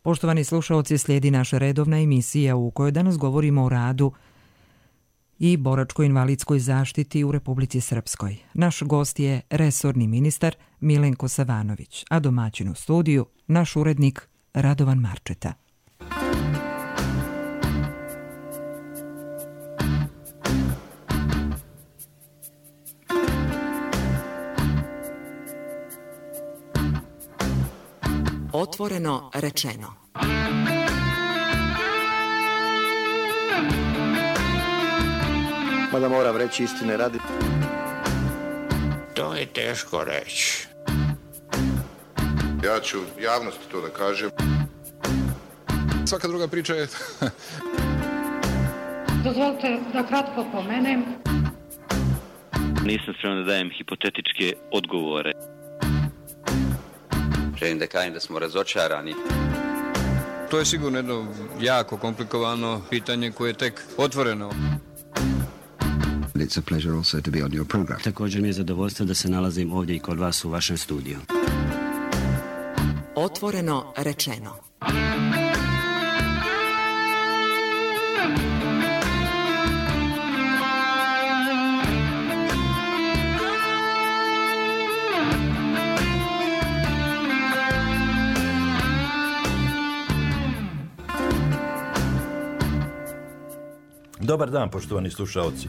Poštovani slušaoci, slijedi naša redovna emisija u kojoj danas govorimo o radu i boračko-invalidskoj zaštiti u Republici Srpskoj. Naš gost je resorni ministar Milenko Savanović, a domaćin u studiju naš urednik Radovan Marčeta. Otvoreno rečeno. Mada moram reći istine radi. To je teško reći. Ja ću javnosti to da kažem. Svaka druga priča je... Dozvolite da kratko pomenem. Nisam spreman da dajem hipotetičke odgovore. Želim da kažem da smo razočarani. To je sigurno jedno jako komplikovano pitanje koje je tek otvoreno. It's a pleasure also to be on your program. Također mi je zadovoljstvo da se nalazim ovdje i kod vas u vašem studiju. Otvoreno rečeno. Dobar dan, poštovani slušaoci.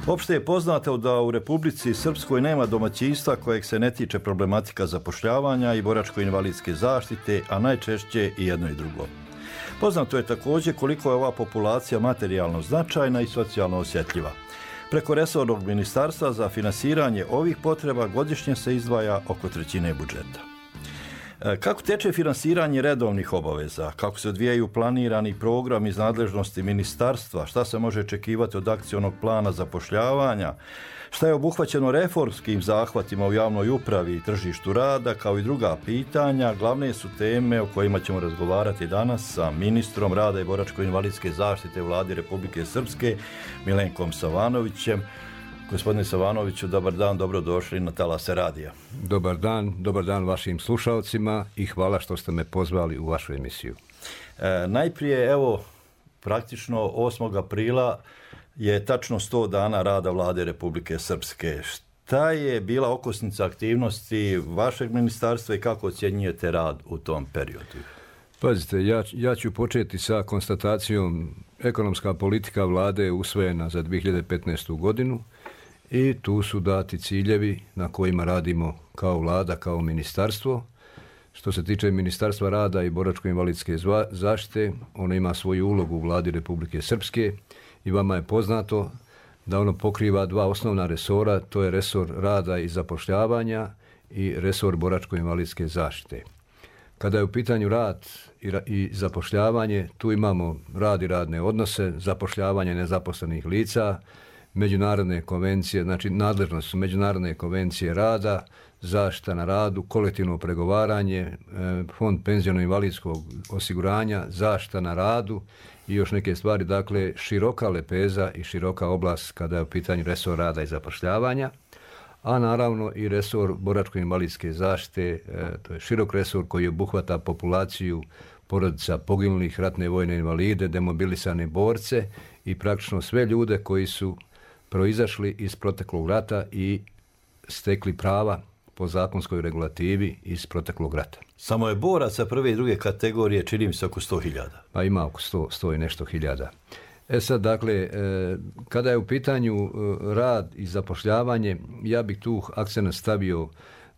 Opšte je poznato da u Republici Srpskoj nema domaćinstva kojeg se ne tiče problematika zapošljavanja i boračko-invalidske zaštite, a najčešće i jedno i drugo. Poznato je također koliko je ova populacija materijalno značajna i socijalno osjetljiva. Preko resornog ministarstva za finansiranje ovih potreba godišnje se izdvaja oko 1/3 budžeta. Kako teče finansiranje redovnih obaveza? Kako se odvijaju planirani program iz nadležnosti ministarstva? Šta se može očekivati od akcionog plana zapošljavanja? Šta je obuhvaćeno reformskim zahvatima u javnoj upravi i tržištu rada, kao i druga pitanja? Glavne su teme o kojima ćemo razgovarati danas sa ministrom rada i boračko-invalidske zaštite Vlade Republike Srpske, Milenkom Savanovićem. Gospodine Savanoviću, dobar dan, dobrodošli na Talase radija. Dobar dan vašim slušalcima i hvala što ste me pozvali u vašu emisiju. Najprije, evo, praktično 8. aprila je tačno 100 dana rada Vlade Republike Srpske. Šta je bila okosnica aktivnosti vašeg ministarstva i kako ocjenjujete rad u tom periodu? Pazite, ja ću početi sa konstatacijom ekonomska politika Vlade je usvojena za 2015. godinu. I tu su dati ciljevi na kojima radimo kao Vlada, kao ministarstvo. Što se tiče Ministarstva rada i boračko-invalidske zaštite, ono ima svoju ulogu u Vladi Republike Srpske i vama je poznato da ono pokriva 2 osnovna resora, to je resor rada i zapošljavanja i resor boračko-invalidske zaštite. Kada je u pitanju rad i zapošljavanje, tu imamo rad i radne odnose, zapošljavanje nezaposlenih lica, međunarodne konvencije, znači nadležnost su međunarodne konvencije rada, zaštita na radu, kolektivno pregovaranje, fond penziono-invalidskog osiguranja, zaštita na radu i još neke stvari, dakle široka lepeza i široka oblast kada je u pitanju resor rada i zapošljavanja, a naravno i resor boračko-invalidske zaštite, to je širok resor koji obuhvata populaciju porodica poginulih, ratne vojne invalide, demobilisane borce i praktično sve ljude koji su proizašli iz proteklog rata i stekli prava po zakonskoj regulativi iz proteklog rata. Samo je boraca prve i druge kategorije, čini mi se oko 100.000. Pa ima oko 100 i nešto hiljada. Sad, dakle, kada je u pitanju rad i zapošljavanje, ja bih tu akcent stavio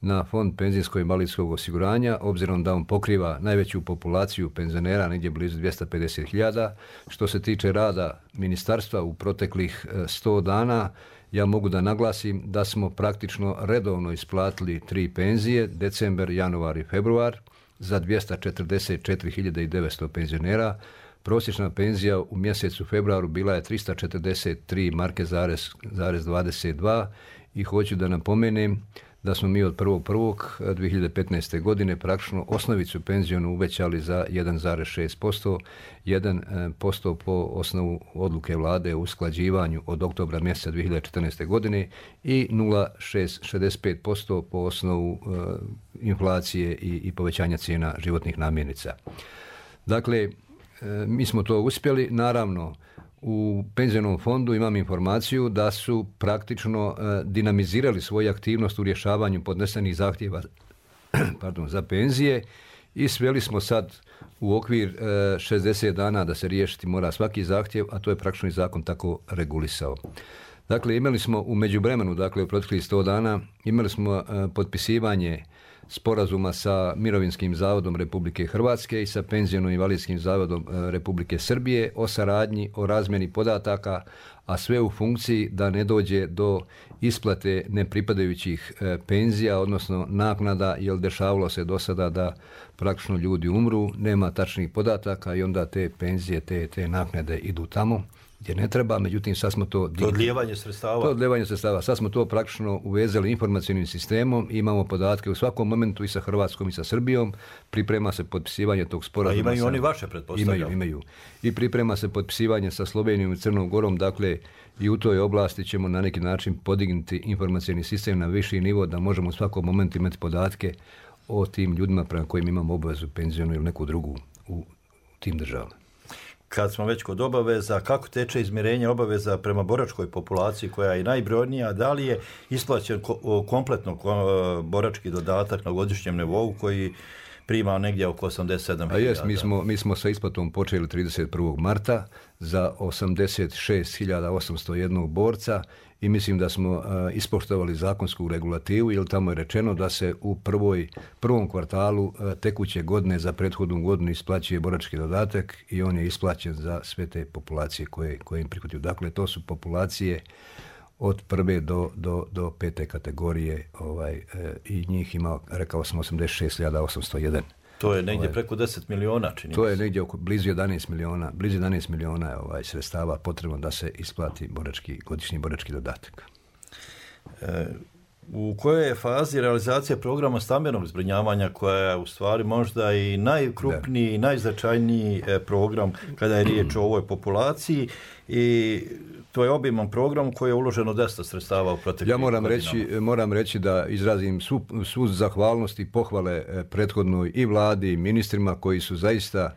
na fond penzijsko-invalidskog osiguranja, obzirom da on pokriva najveću populaciju penzionera, negdje blizu 250.000. Što se tiče rada ministarstva u proteklih 100 dana, ja mogu da naglasim da smo praktično redovno isplatili 3 penzije, decembar, januar i februar, za 244.900 penzionera. Prosječna penzija u mjesecu februaru bila je 343 marke zarez 22 i hoću da napomenem da smo mi od 1.1.2015. godine praktično osnovicu penzijonu uvećali za 1,6%, 1% po osnovu odluke vlade o usklađivanju od oktobra mjeseca 2014. godine i 0,65% po osnovu inflacije i povećanja cijena životnih namirnica. Dakle, mi smo to uspjeli. Naravno, u penzionom fondu imam informaciju da su praktično dinamizirali svoju aktivnost u rješavanju podnesenih zahtjeva za penzije i sveli smo sad u okvir 60 dana da se riješiti mora svaki zahtjev, a to je praktično i zakon tako regulisao. Dakle, imali smo u međuvremenu, dakle u proteklih 100 dana, imali smo potpisivanje sporazuma sa Mirovinskim zavodom Republike Hrvatske i sa Penziono-invalidskim zavodom Republike Srbije o saradnji, o razmjeni podataka, a sve u funkciji da ne dođe do isplate nepripadajućih penzija, odnosno naknada, jer dešavalo se do sada da praktično ljudi umru, nema tačnih podataka i onda te penzije, te naknade idu tamo gdje ne treba, međutim sad smo to... To odlijevanje sredstava. To odlijevanje sredstava. Sad smo to praktično uvezali informacijnim sistemom, imamo podatke u svakom momentu i sa Hrvatskom i sa Srbijom, priprema se potpisivanje tog sporazuma. A imaju oni vaše, pretpostavljam? Imaju. I priprema se potpisivanje sa Slovenijom i Crnom Gorom, dakle i u toj oblasti ćemo na neki način podignuti informacijni sistem na viši nivo da možemo u svakom momentu imati podatke o tim ljudima prema kojim imamo obavezu penzijonu ili neku drugu u tim državama. Kad smo već kod obaveza, kako teče izmirenje obaveza prema boračkoj populaciji koja je najbrojnija, da li je isplaćen kompletno borački dodatak na godišnjem nivou koji prima negdje oko 87.000? A jes, mi smo sa isplatom počeli 31. marta za 86.801 borca i mislim da smo ispoštovali zakonsku regulativu, jer tamo je rečeno da se u prvom kvartalu tekuće godine za prethodnu godinu isplaćuje borački dodatak i on je isplaćen za sve te populacije koje im prihvataju. Dakle, to su populacije od prve do pete kategorije i njih ima, rekao sam, 86.801. To je negdje preko 10 miliona, čini. To je negdje blizu 11 miliona. Blizu 11 miliona je sredstava potrebno da se isplati godišnji borački dodatak. U kojoj je fazi realizacija programa stambenog zbrinjavanja, koja je u stvari možda i najkrupniji i najznačajniji program kada je riječ o ovoj populaciji, i to je obiman program koji je uloženo dosta sredstava u proteklih godinama. Ja moram reći da izrazim svu zahvalnost i pohvale prethodnoj i vladi i ministrima koji su zaista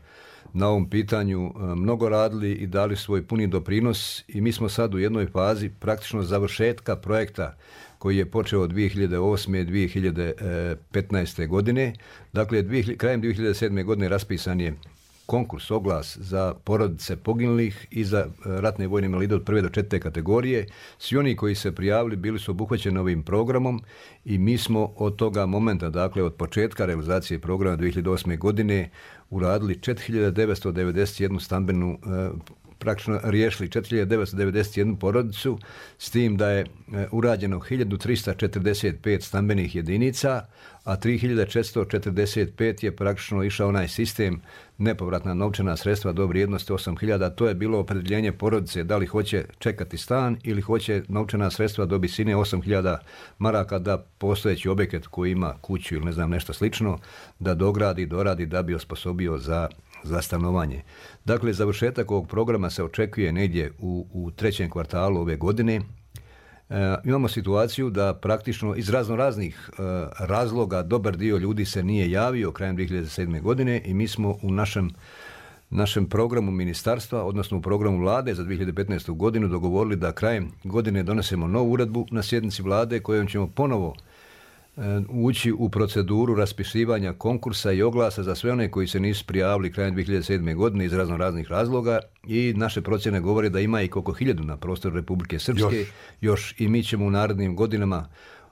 na ovom pitanju mnogo radili i dali svoj puni doprinos, i mi smo sad u jednoj fazi praktično završetka projekta koji je počeo od 2008. 2015. godine. Dakle, krajem 2007. godine raspisan je konkurs, oglas za porodice poginulih i za ratne vojne invalide od 1. do 4. kategorije. Svi oni koji se prijavili bili su obuhvaćeni ovim programom i mi smo od toga momenta, dakle od početka realizacije programa 2008. godine uradili 4.991 stambenu, praktično riješili 4.991 porodicu, s tim da je urađeno 1.345 stambenih jedinica, a 3.445 je praktično išao onaj sistem nepovratna novčana sredstva do vrijednosti 8.000. To je bilo opredjeljenje porodice da li hoće čekati stan ili hoće novčana sredstva do visine 8.000 maraka da postojeći objekat koji ima kuću ili ne znam nešto slično da dogradi, doradi da bi osposobio za stanovanje. Dakle, završetak ovog programa se očekuje negdje u trećem kvartalu ove godine. Imamo situaciju da praktično iz raznih razloga dobar dio ljudi se nije javio krajem 2007. godine i mi smo u našem programu ministarstva, odnosno u programu vlade za 2015. godinu dogovorili da krajem godine donesemo novu uredbu na sjednici vlade kojom ćemo ponovo ući u proceduru raspisivanja konkursa i oglasa za sve one koji se nisu prijavili krajem 2007. godine iz raznih razloga, i naše procjene govore da ima i oko 1000 na prostoru Republike Srpske još i mi ćemo u narednim godinama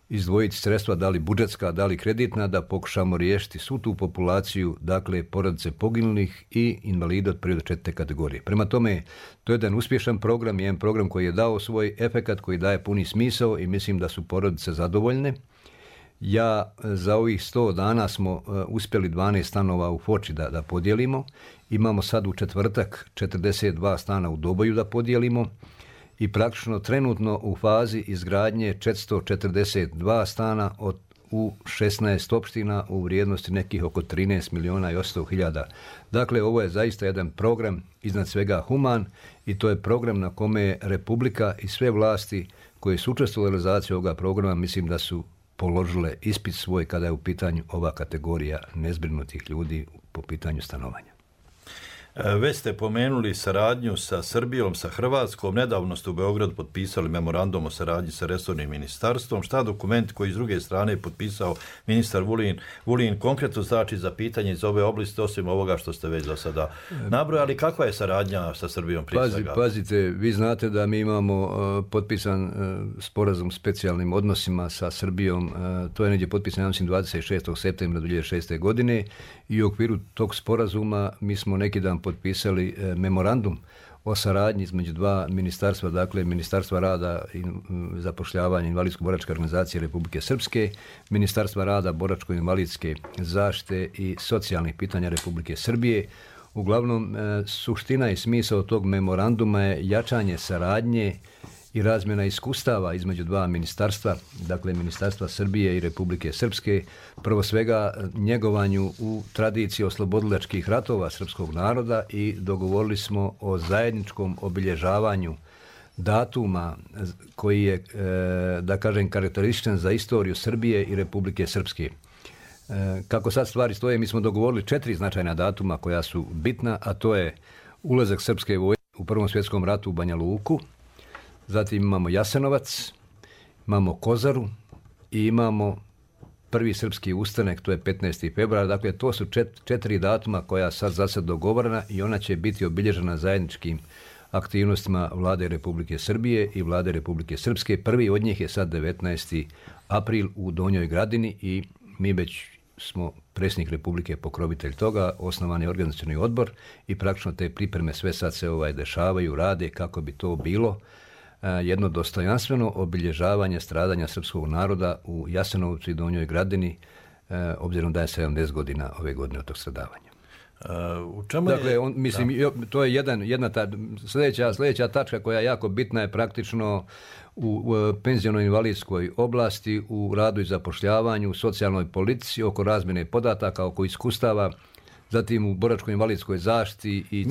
izdvojiti sredstva, da li budžetska, da li kreditna, da pokušamo riješiti svu tu populaciju, dakle porodice poginulih i invalida od 1. do 4. kategorije. Prema tome, to je jedan uspješan program, jedan program koji je dao svoj efekat, koji daje puni smisao i mislim da su porodice zadovoljne. Za ovih 100 dana smo uspjeli 12 stanova u Foči da podijelimo. Imamo sad u četvrtak 42 stana u Doboju da podijelimo i praktično trenutno u fazi izgradnje 442 stana u 16 opština u vrijednosti nekih oko 13.800.000. Dakle, ovo je zaista jedan program iznad svega human i to je program na kome je Republika i sve vlasti koje su učestvovale u realizaciji ovoga programa, mislim da su položile ispit svoj kada je u pitanju ova kategorija nezbrinutih ljudi po pitanju stanovanja. Već ste pomenuli saradnju sa Srbijom, sa Hrvatskom. Nedavno ste u Beogradu potpisali memorandum o saradnji sa resornim ministarstvom. Šta dokument koji s druge strane je potpisao ministar Vulin konkretno znači za pitanje iz ove oblasti, osim ovoga što ste već do sada nabrojali? Kakva je saradnja sa Srbijom prije svega? Pazite, vi znate da mi imamo potpisan sporazum s specijalnim odnosima sa Srbijom. To je negdje potpisan, mislim, 26. septembra 2006. godine i u okviru tog sporazuma mi smo neki dan potpisali memorandum o saradnji između dva ministarstva, dakle Ministarstva rada i zapošljavanja invalidsko-boračke organizacije Republike Srpske, Ministarstva rada, boračko-invalidske zaštite i socijalnih pitanja Republike Srbije. Uglavnom, suština i smisao tog memoranduma je jačanje saradnje i razmjena iskustava između dva ministarstva, dakle Ministarstva Srbije i Republike Srpske, prvo svega njegovanju u tradiciji oslobodilačkih ratova srpskog naroda i dogovorili smo o zajedničkom obilježavanju datuma koji je, da kažem, karakterističan za istoriju Srbije i Republike Srpske. Kako sad stvari stoje, mi smo dogovorili 4 značajna datuma koja su bitna, a to je ulazak srpske vojske u Prvom svjetskom ratu u Banja Luku, zatim imamo Jasenovac, imamo Kozaru i imamo prvi srpski ustanak, to je 15. februar. Dakle, to su 4 datuma koja sad za sad dogovorena i ona će biti obilježena zajedničkim aktivnostima Vlade Republike Srbije i Vlade Republike Srpske. Prvi od njih je sad 19. april u Donjoj Gradini i mi već smo predsjednik Republike pokrovitelj toga, osnovan je organizacioni odbor i praktično te pripreme sve sad se dešavaju, rade kako bi to bilo jedno dostojanstveno obilježavanje stradanja srpskog naroda u Jasenovcu i Donjoj Gradini, obzirom da je 70 godina ove godine od tog stradavanja. U čemu dakle, je... to je jedna sljedeća tačka koja je jako bitna je praktično u penziono-invalidskoj oblasti, u radu i zapošljavanju, u socijalnoj politici, oko razmjene podataka, oko iskustava, zatim u boračko-invalidskoj zaštiti i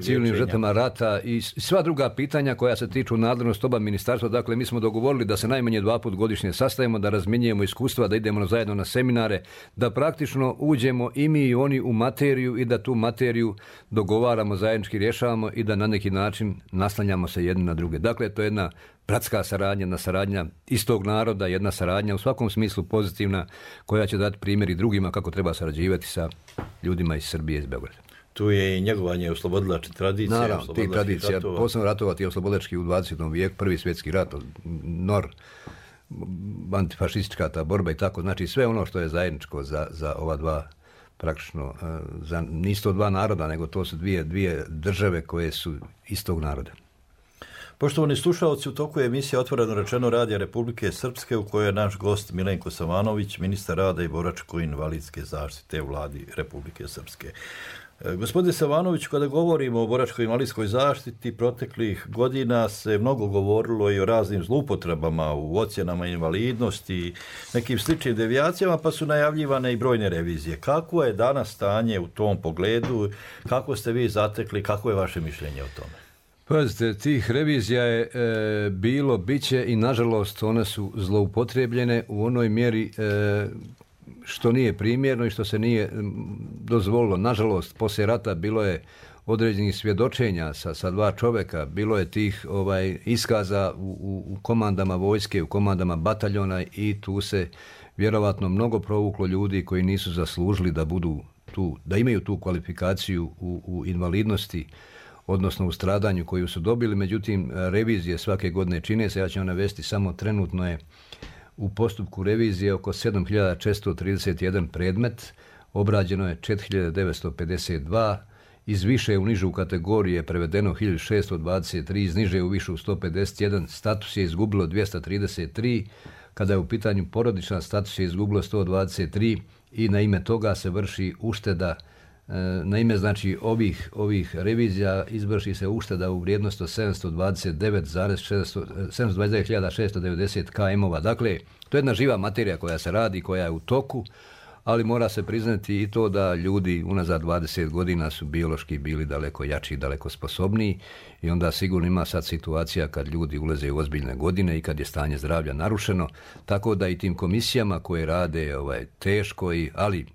civilnim žrtvama rata i sva druga pitanja koja se tiču nadležnosti oba ministarstva. Dakle, mi smo dogovorili da se najmanje 2 puta godišnje sastajemo, da razmjenjujemo iskustva, da idemo zajedno na seminare, da praktično uđemo i mi i oni u materiju i da tu materiju dogovaramo, zajednički rješavamo i da na neki način naslanjamo se jedni na druge. Dakle, to je jedna bratska saradnja, jedna saradnja istog naroda, jedna saradnja u svakom smislu pozitivna koja će dati primjer i drugima kako treba sarađivati sa ljudima iz Srbije i iz Beograda. Tu je i njegovanje oslobodilačke tradicije. Naravno, tih tradicija, posebno ratovati oslobodilački u 20. vijeku, prvi svjetski rat, NOR, antifašistička ta borba i tako, znači sve ono što je zajedničko za ova dva praktično, nisu to dva naroda, nego to su dvije države koje su istog naroda. Poštovani slušalci, u toku je emisija Otvoreno rečeno Radija Republike Srpske u kojoj je naš gost Milenko Savanović, ministar rada i boračko-invalidske zaštite u Vladi Republike Srpske. Gospodine Savanović, kada govorimo o boračko-invalidskoj zaštiti, proteklih godina se mnogo govorilo i o raznim zloupotrebama u ocjenama invalidnosti i nekim sličnim devijacijama, pa su najavljivane i brojne revizije. Kako je danas stanje u tom pogledu? Kako ste vi zatekli? Kako je vaše mišljenje o tome? Pazite, tih revizija je bilo, biće i nažalost one su zloupotrebljene u onoj mjeri što nije primjerno i što se nije dozvolilo. Nažalost, poslije rata bilo je određenih svjedočenja sa 2 čovjeka, bilo je tih iskaza u komandama vojske, u komandama bataljona i tu se vjerovatno mnogo provuklo ljudi koji nisu zaslužili da budu tu, da imaju tu kvalifikaciju u invalidnosti, odnosno u stradanju koju su dobili. Međutim, revizije svake godine čine se, ja ću vam navesti samo trenutno je u postupku revizije oko 7431 predmet, obrađeno je 4952, iz više u nižu kategoriju je prevedeno 1623, iz niže u višu 151, status je izgubilo 233, kada je u pitanju porodična status je izgubilo 123 i na ime toga se vrši ušteda. Na ime znači ovih revizija izvrši se ušteda u vrijednosti 729.690 km-ova. Dakle, to je jedna živa materija koja se radi, koja je u toku, ali mora se priznati i to da ljudi unazad 20 godina su biološki bili daleko jači i daleko sposobniji i onda sigurno ima sad situacija kad ljudi ulaze u ozbiljne godine i kad je stanje zdravlja narušeno, tako da i tim komisijama koje rade teško, ali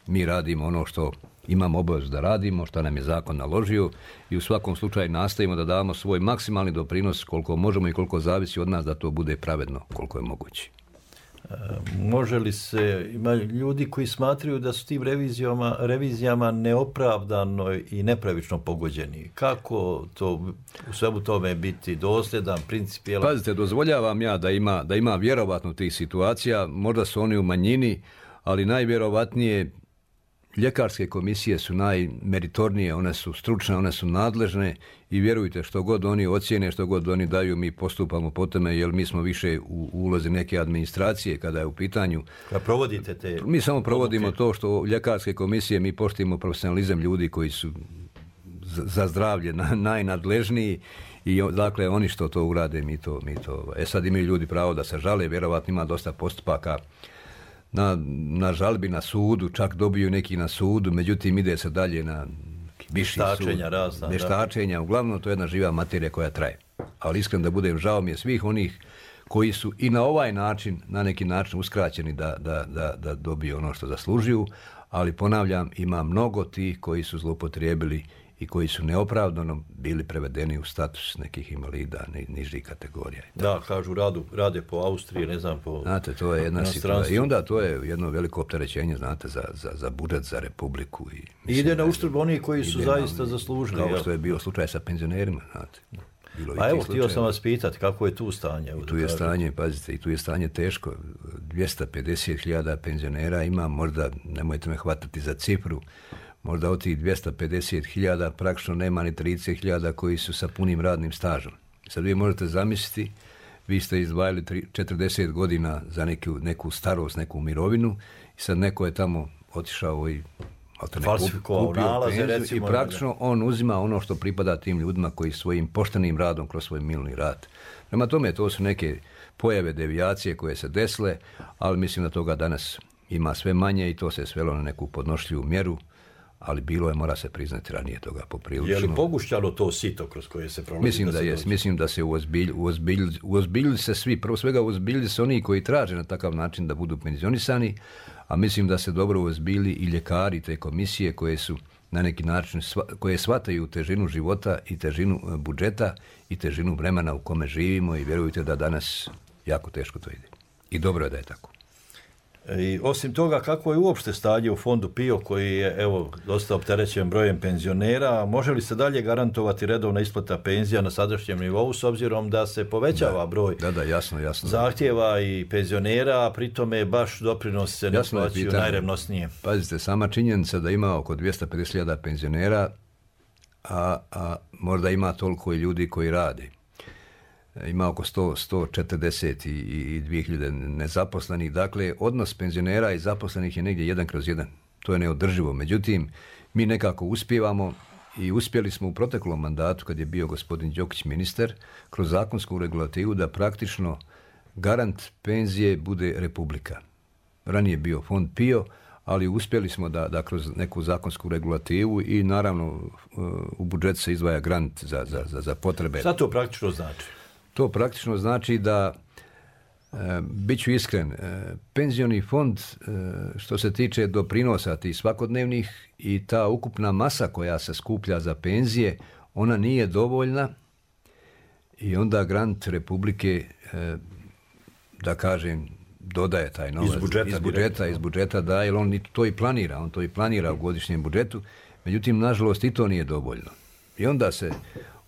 Mi radimo ono što imamo obavezu da radimo, što nam je zakon naložio i u svakom slučaju nastavimo da damo svoj maksimalni doprinos koliko možemo i koliko zavisi od nas da to bude pravedno koliko je moguće. Može li se, ima ljudi koji smatraju da su tim revizijama neopravdano i nepravično pogođeni. Kako to u svemu tome biti dosljedan, principijelan? Pazite, dozvoljavam ja da ima vjerovatno tih situacija, možda su oni u manjini, ali najvjerovatnije ljekarske komisije su najmeritornije, one su stručne, one su nadležne i vjerujte, što god oni ocjene, što god oni daju, mi postupamo po tome, jer mi smo više u ulozi neke administracije kada je u pitanju. Kad provodite te... Mi samo provodimo to što ljekarske komisije, mi poštujemo profesionalizam ljudi koji su za zdravlje najnadležniji i dakle oni što to urade, mi to. Sad imaju ljudi pravo da se žale, vjerovatno ima dosta postupaka na žalbi na sudu, čak dobiju neki na sudu, međutim ide se dalje na viši sud. Vještačenja, uglavnom to je jedna živa materija koja traje. Ali iskreno da budem, žao mi je svih onih koji su i na ovaj način, na neki način uskraćeni da dobiju ono što zaslužuju, ali ponavljam, ima mnogo tih koji su zloupotrijebili i koji su neopravdano bili prevedeni u status nekih invalida nižih kategorija. Da, kažu rade po Austriji, ne znam po... Znate, to je jedna situacija. I onda to je jedno veliko opterećenje, znate, za budžet, za Republiku. I ide na uštrb onih koji su zaista zaslužili. Kao što je bio slučaj sa penzionerima, znate. A evo, htio sam vas pitati, kako je tu stanje? Tu je stanje, pazite, i tu je stanje teško. 250.000 penzionera ima, možda, nemojte me hvatati za cifru, možda od tih 250.000 praktično nema ni 30.000 koji su sa punim radnim stažom. Sad vi možete zamisliti, vi ste izdvajali 40 godina za neku starost, neku mirovinu i sad neko je tamo otišao i falsifikovao nalaze, recimo. I praktično on uzima ono što pripada tim ljudima koji svojim poštenim radom kroz svoj minuli rad. Prema tome, to su neke pojave, devijacije koje se desile, ali mislim da toga danas ima sve manje i to se svelo na neku podnošljivu mjeru, ali bilo je, mora se priznati, ranije toga poprilično. Je li pogušćalo to sito kroz koje se prolazi? Mislim da je, mislim da se uozbiljili se svi, prvo svega uozbiljili se oni koji traže na takav način da budu penzionisani, a mislim da se dobro uozbiljili i ljekari te komisije koje su na neki način, koje shvataju težinu života i težinu budžeta i težinu vremena u kome živimo i vjerujte da danas jako teško to ide. I dobro je da je tako. I osim toga, kako je uopšte stanje u fondu PIO koji je, evo, dosta opterećen brojem penzionera, može li se dalje garantovati redovna isplata penzija na sadašnjem nivou s obzirom da se povećava broj jasno. zahtjeva i penzionera, a pritome baš doprinos se ne plaćaju najrevnosnije? Pazite, sama činjenica da ima oko 250.000 penzionera, a možda ima toliko i ljudi koji rade. Ima oko 142.000 nezaposlenih. Dakle, odnos penzionera i zaposlenih je negdje 1/1. To je neodrživo. Međutim, mi nekako uspijevamo i uspjeli smo u proteklom mandatu, kad je bio gospodin Đokić ministar, kroz zakonsku regulativu da praktično garant penzije bude Republika. Ranije bio fond PIO, ali uspjeli smo da kroz neku zakonsku regulativu i naravno u budžetu se izdvaja grant za potrebe. Šta to praktično znači? To praktično znači da, bit ću iskren, penzioni fond što se tiče doprinosa tih svakodnevnih i ta ukupna masa koja se skuplja za penzije, ona nije dovoljna i onda grant Republike, da kažem, dodaje taj novac iz budžeta da, jer on to i planira u godišnjem budžetu, međutim, nažalost, i to nije dovoljno. I onda se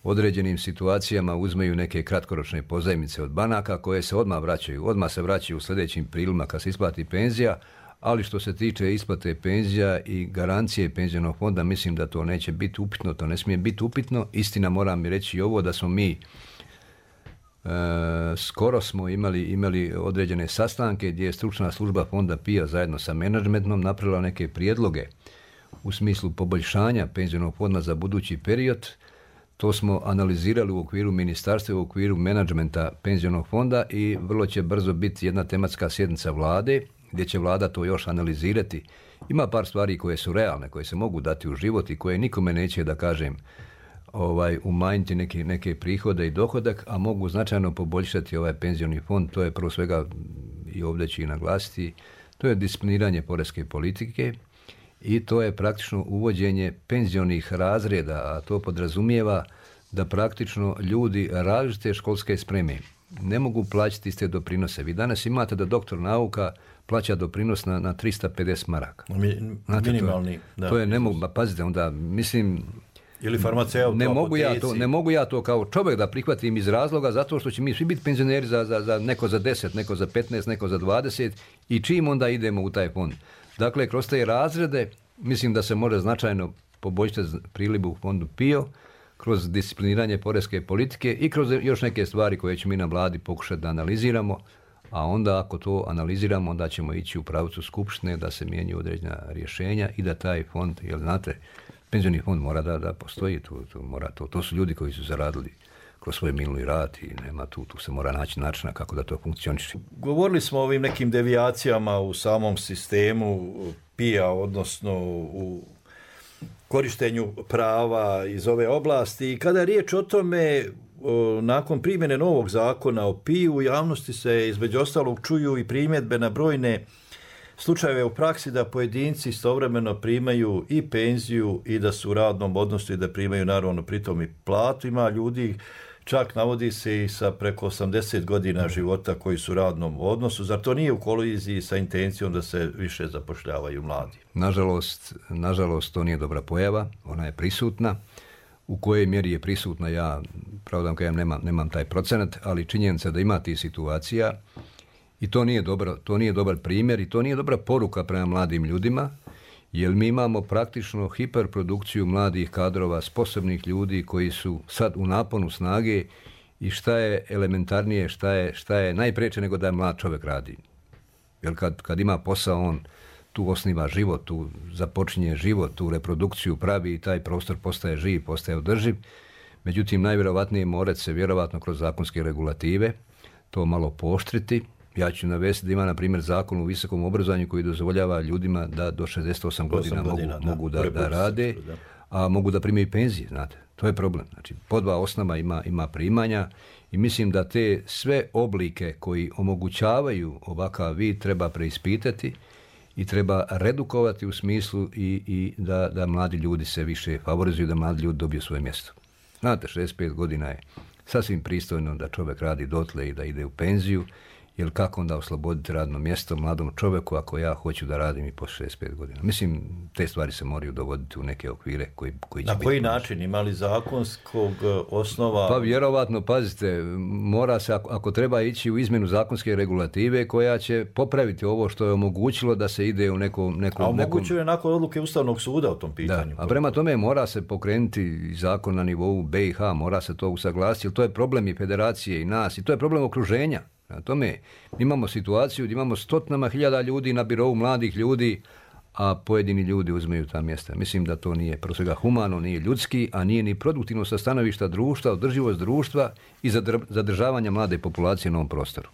određenim situacijama uzmeju neke kratkoročne pozajmice od banaka koje se odmah se vraćaju u sljedećim prilima kad se isplati penzija, ali što se tiče isplate penzija i garancije penzionog fonda, mislim da to neće biti upitno, to ne smije biti upitno. Istina, moram mi reći i ovo da smo mi skoro smo imali određene sastanke gdje je stručna služba fonda PIO zajedno sa menadžmentom napravila neke prijedloge u smislu poboljšanja penzionog fonda za budući period. To smo analizirali u okviru ministarstva, u okviru menadžmenta penzionog fonda i vrlo će brzo biti jedna tematska sjednica vlade gdje će vlada to još analizirati. Ima par stvari koje su realne, koje se mogu dati u život i koje nikome neće, da kažem, umanjiti neke prihode i dohodak, a mogu značajno poboljšati ovaj penzioni fond. To je prvo svega, i ovdje ću i naglasiti, to je discipliniranje poreske politike i to je praktično uvođenje penzionih razreda, a to podrazumijeva da praktično ljudi različite školske spreme ne mogu plaćati iste doprinose. Vi danas imate da doktor nauka plaća doprinos na 350 maraka. Minimalni. To je ne mogu, pazite, onda mislim... Ili farmaceut, ne mogu ja to kao čovjek da prihvatim iz razloga zato što će mi svi biti penzioneri za neko za 10, neko za 15, neko za 20 i čim onda idemo u taj fond. Dakle, kroz te razrede mislim da se može značajno poboljšati priliv u fondu PIO kroz discipliniranje poreske politike i kroz još neke stvari koje ćemo mi na vladi pokušati da analiziramo, a onda ako to analiziramo, onda ćemo ići u pravcu skupštine da se mijenjaju određena rješenja i da taj fond, jer znate, penzioni fond mora da postoji, to su ljudi koji su zaradili kroz svoj minuli rad i nema tu se mora naći načina kako da to funkcioniše. Govorili smo o ovim nekim devijacijama u samom sistemu PIA, odnosno u korištenju prava iz ove oblasti. I kada je riječ o tome, nakon primjene novog zakona o PIU, u javnosti se između ostalog čuju i primjedbe na brojne slučajeve u praksi da pojedinci istovremeno primaju i penziju i da su u radnom odnosu i da primaju naravno pritom i platu. Ima ljudi, čak navodi se i sa preko 80 godina života koji su u radnom odnosu. Zar to nije u koliziji sa intencijom da se više zapošljavaju mladi? Nažalost, to nije dobra pojava. Ona je prisutna. U kojoj mjeri je prisutna, ja pravdam kajem nemam taj procenat, ali činjenica da ima tih situacija i to nije dobar primjer i to nije dobra poruka prema mladim ljudima, jer mi imamo praktično hiperprodukciju mladih kadrova, sposobnih ljudi koji su sad u naponu snage i šta je elementarnije, šta je najpreče nego da mlad čovjek radi. Jer kad ima posao, on tu osniva život, tu započinje život, tu reprodukciju pravi i taj prostor postaje živ, postaje održiv. Međutim, najvjerovatnije mora se vjerovatno kroz zakonske regulative to malo pooštriti. Ja ću navesti da ima, na primjer, zakon u visokom obrazovanju koji dozvoljava ljudima da do 68 godina mogu da rade, a mogu da primaju penzije, znate. To je problem. Znači, po dva osnova ima primanja i mislim da te sve oblike koji omogućavaju ovakav vid treba preispitati i treba redukovati u smislu i da mladi ljudi se više favorizuju, da mladi ljudi dobiju svoje mjesto. Znate, 65 godina je sasvim pristojno da čovjek radi dotle i da ide u penziju, jer kako onda osloboditi radno mjesto mladom čovjeku ako ja hoću da radim i po 65 godina. Mislim, te stvari se moraju dovoditi u neke okvire koji će Na koji način? Ima li zakonskog osnova? Pa vjerovatno, pazite, mora se, ako treba ići u izmjenu zakonske regulative koja će popraviti ovo što je omogućilo da se ide u nekom... A omogućuje nakon odluke Ustavnog suda o tom pitanju. Da, a prema tome mora se pokrenuti zakon na nivou BiH, mora se to usaglasiti, jer to je problem i federacije i nas, i to je problem okruženja. Na tome imamo situaciju gdje imamo stotinama hiljada ljudi na birovu mladih ljudi, a pojedini ljudi uzmeju ta mjesta. Mislim da to nije prvo svega humano, nije ljudski, a nije ni produktivno sa stanovišta društva, održivost društva i zadržavanja mlade populacije na ovom prostoru.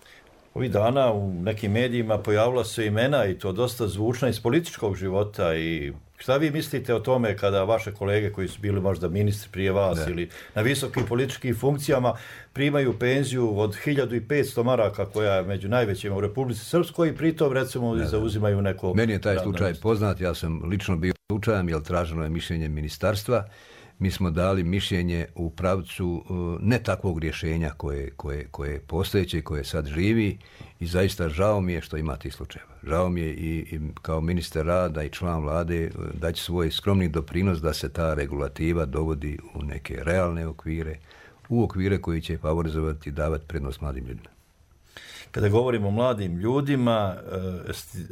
Ovih dana u nekim medijima pojavila su imena i to dosta zvučna iz političkog života. I šta vi mislite o tome kada vaše kolege koji su bili možda ministri prije vas ili na visokim političkim funkcijama primaju penziju od 1500 maraka koja je među najvećima u Republici Srpskoj i pritom recimo zauzimaju neko... Meni je taj slučaj poznat, ja sam lično bio slučajem jer traženo je mišljenje ministarstva. Mi smo dali mišljenje u pravcu ne takvog rješenja koje je postojeće i koje sad živi i zaista žao mi je što ima tih slučajeva. Žao mi je i kao ministar rada i član vlade daći svoj skromni doprinos da se ta regulativa dovodi u neke realne okvire, u okvire koji će favorizovati i davati prednost mladim ljudima. Kada govorimo o mladim ljudima,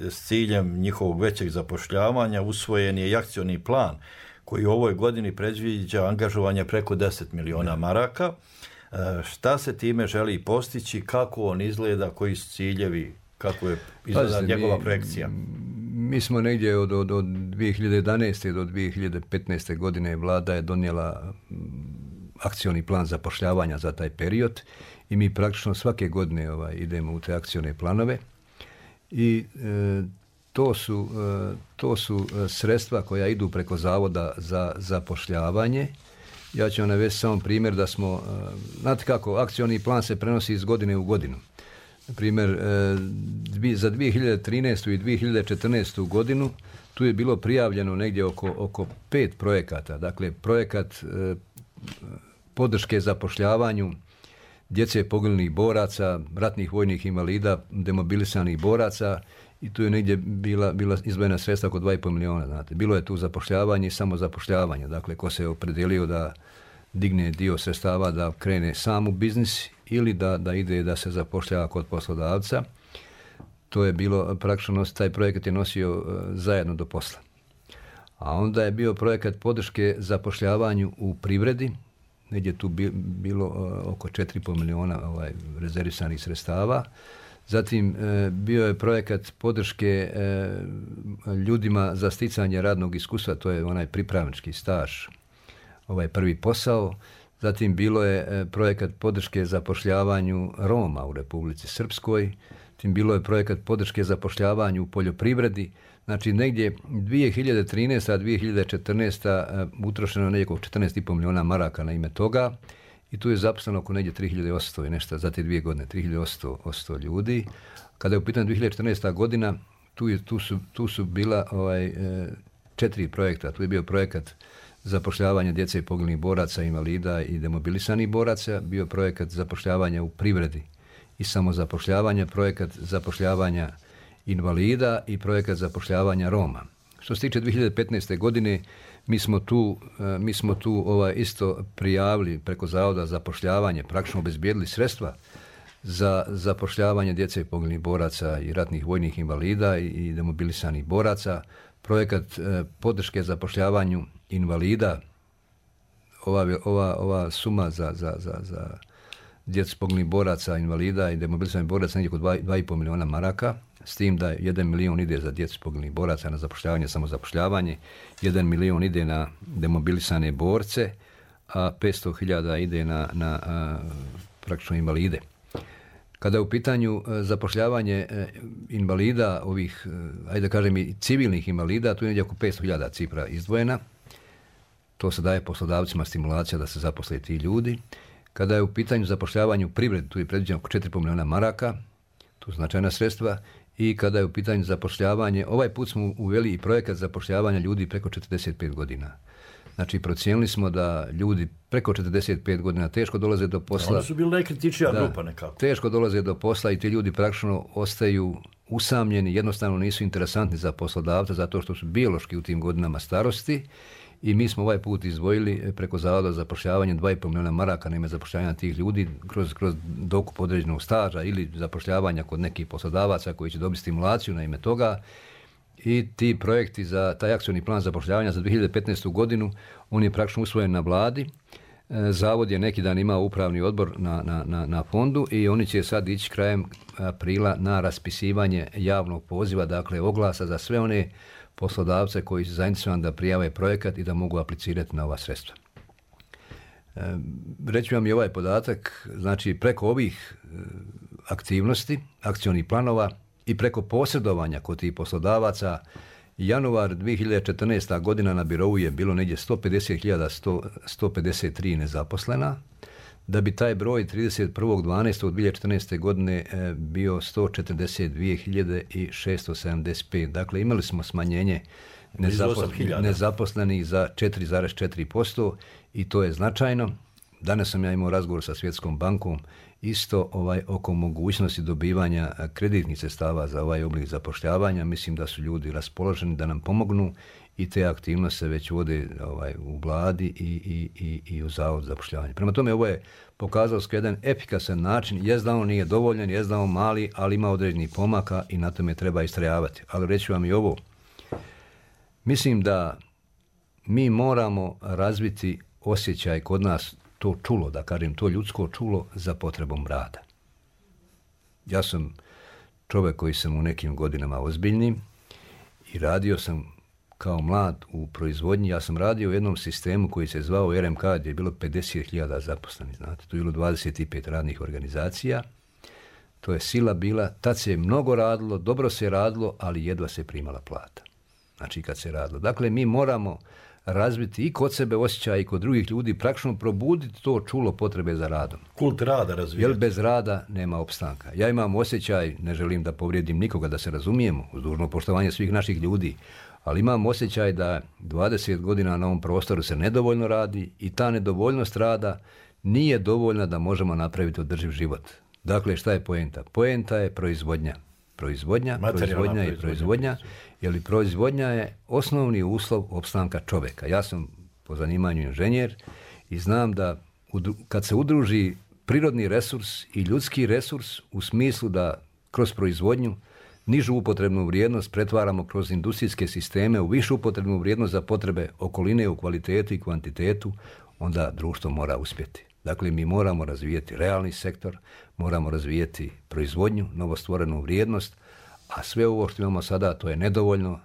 s ciljem njihovog većeg zapošljavanja usvojen je i akcioni plan koji u ovoj godini predviđa angažovanje preko 10 miliona maraka. Šta se time želi postići, kako on izgleda, koji su ciljevi, kako je izgleda njegova projekcija? Mi smo negdje od 2011. do 2015. godine vlada je donijela akcioni plan zapošljavanja za taj period i mi praktično svake godine idemo u te akcione planove i to su sredstva koja idu preko Zavoda za zapošljavanje. Ja ću vam navesti samo primjer da smo, znate kako, akcioni plan se prenosi iz godine u godinu. Na primjer, za 2013. i 2014. godinu tu je bilo prijavljeno negdje oko 5 projekata. Dakle, projekat podrške zapošljavanju djece poginulih boraca, ratnih vojnih invalida, demobilisanih boraca i tu je negdje bila izdvojena sredstva oko 2,5 milijuna. Znate. Bilo je tu zapošljavanje i samozapošljavanje. Dakle, ko se opredelio da digne dio sredstava da krene sam u biznis ili da ide da se zapošljava kod poslodavca. To je bilo praktično, taj projekat je nosio zajedno do posla. A onda je bio projekat podrške zapošljavanju u privredi, negdje tu bilo oko 4,5 milijuna rezervisanih sredstava. Zatim bio je projekat podrške ljudima za sticanje radnog iskustva, to je onaj pripravnički staž, prvi posao. Zatim bilo je projekat podrške zapošljavanju Roma u Republici Srpskoj. Zatim bilo je projekat podrške zapošljavanju u poljoprivredi. Znači negdje 2013. a 2014. utrošeno negdje oko 14,5 milijuna maraka na ime toga i tu je zaposleno oko negdje 3.800 i nešto za te 2 godine, 3.800 ljudi. Kada je u pitanju 2014. godina, tu su bila 4 projekta. Tu je bio projekat zapošljavanja djece i poginulih boraca, invalida i demobilisanih boraca, bio projekat zapošljavanja u privredi i samozapošljavanja, projekat zapošljavanja invalida i projekat zapošljavanja Roma. Što se tiče 2015. godine, mi smo tu isto prijavili preko Zavoda za zapošljavanje, praktično obezbijedili sredstva za zapošljavanje djece i poginulih boraca i ratnih vojnih invalida i demobilisanih boraca, projekat podrške zapošljavanju invalida, ova suma za djecu poginulih boraca, invalida i demobilisanih boraca negdje oko 2,5 milijuna maraka, s tim da 1 milijun ide za djecu poginulih boraca na zapošljavanje, samozapošljavanje, 1 milijun ide na demobilisane borce, a 500.000 ide na praktično invalide. Kada je u pitanju zapošljavanje invalida, ovih, ajde da kažem i civilnih invalida, tu je negdje oko 500.000 cifra izdvojena. To se daje poslodavcima stimulacija da se zaposle ti ljudi. Kada je u pitanju zapošljavanje u privredi, tu je predviđeno oko 4,5 milijuna maraka, tu su značajna sredstva. I kada je u pitanju zapošljavanje, ovaj put smo uveli i projekat zapošljavanja ljudi preko 45 godina. Znači, procijenili smo da ljudi preko 45 godina teško dolaze do posla. Oni su bili najkritičnija grupa nekako. Teško dolaze do posla i ti ljudi praktično ostaju usamljeni, jednostavno nisu interesantni za poslodavca zato što su biološki u tim godinama starosti. I mi smo ovaj put izdvojili preko Zavoda za zapošljavanje 2,5 milijuna maraka na ime zapošljavanja tih ljudi kroz dokup određenog staža ili zapošljavanja kod nekih poslodavaca koji će dobiti stimulaciju na ime toga. I ti projekti za taj akcioni plan zapošljavanja za 2015. godinu, on je praktično usvojen na vladi. Zavod je neki dan imao upravni odbor na fondu i oni će sad ići krajem aprila na raspisivanje javnog poziva, dakle oglasa za sve one poslodavce koji su zainteresovani da prijave projekat i da mogu aplicirati na ova sredstva. Reći vam i ovaj podatak, znači preko ovih aktivnosti, akcionih planova i preko posredovanja kod tih poslodavaca, januar 2014. godina na birou je bilo negdje 150.153 nezaposlena, da bi taj broj 31.12.2014. godine bio 142.675. Dakle, imali smo smanjenje nezaposlenih za 4,4% i to je značajno. Danas sam ja imao razgovor sa Svjetskom bankom isto oko mogućnosti dobivanja kreditnih sredstava za ovaj oblik zapošljavanja. Mislim da su ljudi raspoloženi da nam pomognu i te aktivnosti se već vode u vladi i u Zavodu za zapošljavanje. Prema tome, ovo je pokazalo se jedan efikasan način, jest da on nije dovoljan, jest da on mali, ali ima određenih pomaka i na tome treba istrajavati. Ali reći vam i ovo, mislim da mi moramo razviti osjećaj kod nas, to čulo, da kažem, to ljudsko čulo za potrebom rada. Ja sam čovjek koji sam u nekim godinama ozbiljnim i radio sam kao mlad u proizvodnji. Ja sam radio u jednom sistemu koji se zvao RMK, gdje je bilo 50.000 zaposlenih, znate. Tu je bilo 25 radnih organizacija. To je sila bila. Tad se je mnogo radilo, dobro se radilo, ali jedva se primala plata. Znači kad se radilo. Dakle, mi moramo razviti i kod sebe osjećaj i kod drugih ljudi, praktično probuditi to čulo potrebe za radom. Kult rada razvijati. Jer bez rada nema opstanka. Ja imam osjećaj, ne želim da povrijedim nikoga, da se razumijemo, uz dužno poštovanje svih naših ljudi, ali imam osjećaj da 20 godina na ovom prostoru se nedovoljno radi i ta nedovoljnost rada nije dovoljna da možemo napraviti održiv život. Dakle, šta je poenta? Poenta je proizvodnja. Proizvodnja, jer proizvodnja je osnovni uslov opstanka čovjeka. Ja sam po zanimanju inženjer i znam da kad se udruži prirodni resurs i ljudski resurs u smislu da kroz proizvodnju nižu upotrebnu vrijednost pretvaramo kroz industrijske sisteme u višu upotrebnu vrijednost za potrebe okoline u kvalitetu i kvantitetu, onda društvo mora uspjeti. Dakle, mi moramo razvijeti realni sektor, moramo razvijeti proizvodnju, novostvorenu vrijednost, a sve ovo što imamo sada, to je nedovoljno,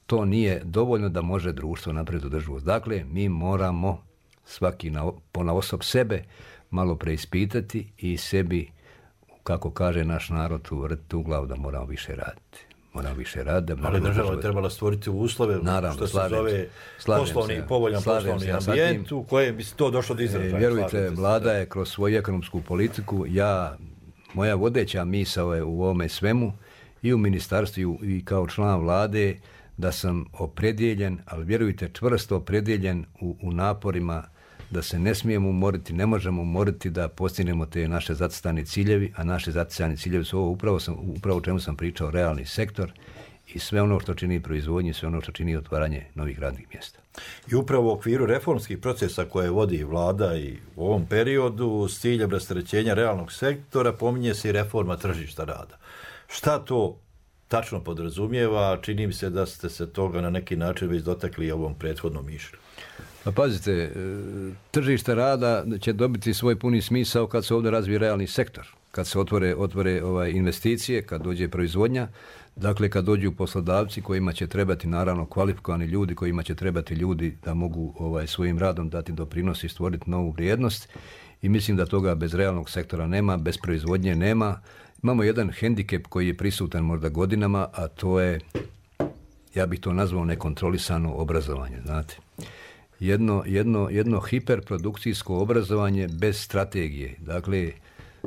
to nije dovoljno da može društvo napraviti održivost. Dakle, mi moramo svaki ponaosob sebe malo preispitati i sebi, kako kaže naš narod, uvrtiti u glavu da moramo više raditi. Ali država je trebala stvoriti uslove, naravno, što se zove povoljan poslovni ambijent u kojem bi se to došlo do izražaja. Vjerujte, vlada je kroz svoju ekonomsku politiku, moja vodeća misao je u ovome svemu i u ministarstvu i kao član vlade da sam opredjeljen, ali vjerujte, čvrsto opredjeljen u naporima da se ne smijemo umoriti, ne možemo umoriti da postignemo te naše zacrtane ciljevi, a naše zacrtane ciljevi su ovo upravo o čemu sam pričao, realni sektor i sve ono što čini proizvodnju, sve ono što čini otvaranje novih radnih mjesta. I upravo u okviru reformskih procesa koje vodi vlada i u ovom periodu s ciljem rasterećenja realnog sektora pominje se i reforma tržišta rada. Šta to tačno podrazumijeva? Čini mi se da ste se toga na neki način već dotakli ovom prethodnom mišlju. Pa pazite, tržište rada će dobiti svoj puni smisao kad se ovdje razvije realni sektor, kad se otvore investicije, kad dođe proizvodnja, dakle kad dođu poslodavci kojima će trebati naravno kvalifikovani ljudi, kojima će trebati ljudi da mogu svojim radom dati doprinos i stvoriti novu vrijednost i mislim da toga bez realnog sektora nema, bez proizvodnje nema. Imamo jedan hendikep koji je prisutan možda godinama, a to je, ja bih to nazvao nekontrolisano obrazovanje, znate. Jedno hiperprodukcijsko obrazovanje bez strategije. Dakle,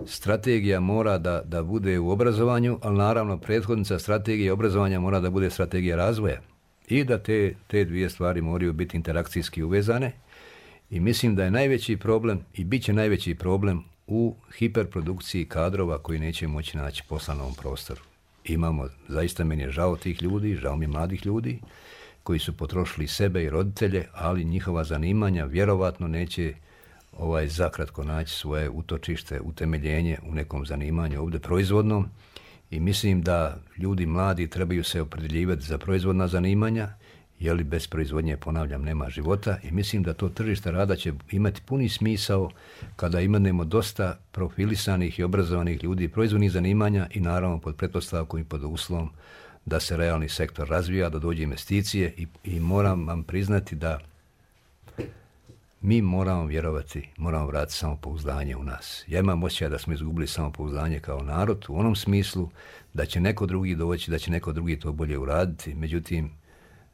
strategija mora da bude u obrazovanju, ali naravno prethodnica strategije obrazovanja mora da bude strategija razvoja. I da te dvije stvari moraju biti interakcijski uvezane. I mislim da je najveći problem i bit će najveći problem u hiperprodukciji kadrova koji neće moći naći posla na ovom prostoru. Imamo, zaista meni je žao tih ljudi, žao mi je mladih ljudi koji su potrošili sebe i roditelje, ali njihova zanimanja vjerovatno neće zakratko naći svoje utočište, utemeljenje u nekom zanimanju ovdje proizvodnom i mislim da ljudi mladi trebaju se opredjeljivati za proizvodna zanimanja, jer bez proizvodnje, ponavljam, nema života i mislim da to tržište rada će imati puni smisao kada imamo dosta profilisanih i obrazovanih ljudi proizvodnih zanimanja i naravno pod pretpostavkom i pod uslovom da se realni sektor razvija, da dođe investicije i moram vam priznati da mi moramo vjerovati, moramo vratiti samopouzdanje u nas. Ja imam osjećaj da smo izgubili samopouzdanje kao narod u onom smislu da će neko drugi doći, da će neko drugi to bolje uraditi. Međutim,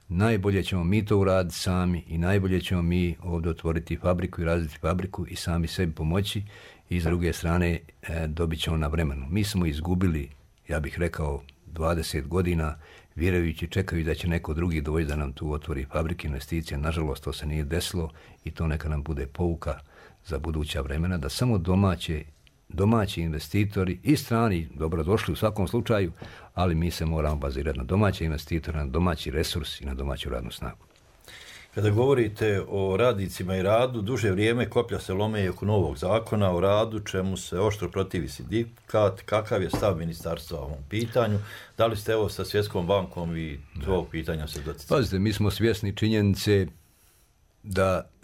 najbolje ćemo mi to uraditi sami i najbolje ćemo mi ovdje otvoriti fabriku i razviti fabriku i sami sebi pomoći i s druge strane dobit ćemo na vremenu. Mi smo izgubili, ja bih rekao, 20 godina vjerujući, čekajući da će neko drugi doći da nam tu otvori fabrike, investicije. Nažalost, to se nije desilo i to neka nam bude pouka za buduća vremena, da samo domaći investitori i strani dobrodošli u svakom slučaju, ali mi se moramo bazirati na domaće investitore, na domaći resurs i na domaću radnu snagu. Kada govorite o radnicima i radu, duže vrijeme koplja se lome i oko novog zakona o radu, čemu se oštro protivi sindikat. Kakav je stav ministarstva o ovom pitanju? Da li ste sa Svjetskom bankom i ovog pitanja se doticali? Pazite, mi smo svjesni činjenice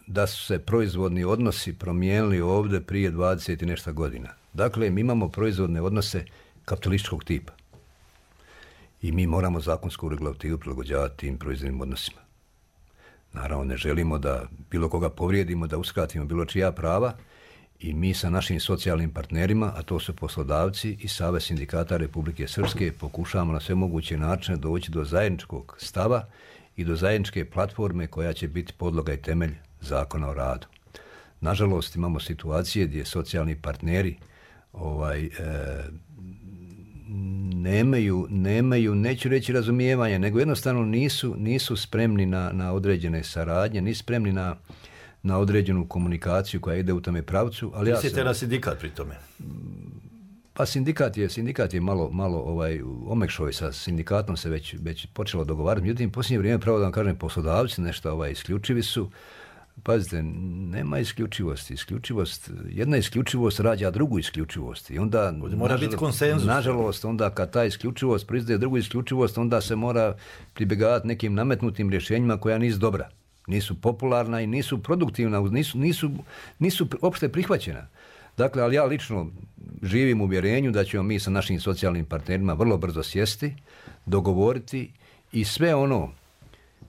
da su se proizvodni odnosi promijenili ovdje prije 20 i nešto godina. Dakle, mi imamo proizvodne odnose kapitalističkog tipa. I mi moramo zakonsku regulativu prilagođavati tim proizvodnim odnosima. Naravno, ne želimo da bilo koga povrijedimo, da uskratimo bilo čija prava i mi sa našim socijalnim partnerima, a to su poslodavci i Savez sindikata Republike Srpske, pokušavamo na sve moguće načine doći do zajedničkog stava i do zajedničke platforme koja će biti podloga i temelj Zakona o radu. Nažalost, imamo situacije gdje socijalni partneri nemaju, neću reći razumijevanja, nego jednostavno nisu spremni na određene saradnje, nisu spremni na određenu komunikaciju koja ide u tome pravcu. Ali mislite na sindikat pri tome? Pa sindikat je malo omekšao, sa sindikatom se već počelo dogovarati. Međutim, posljednje vrijeme, pravo da vam kažem, poslodavci nešto isključivi su. Pazite, nema isključivosti. Jedna isključivost rađa drugu isključivost. I onda mora biti konsenzus. Nažalost, onda kad ta isključivost proizvede drugu isključivost, onda se mora pribjegavati nekim nametnutim rješenjima koja nisu dobra. Nisu popularna i nisu produktivna, nisu opšte prihvaćena. Dakle, ali ja lično živim u uvjerenju da ćemo mi sa našim socijalnim partnerima vrlo brzo sjesti, dogovoriti i sve ono.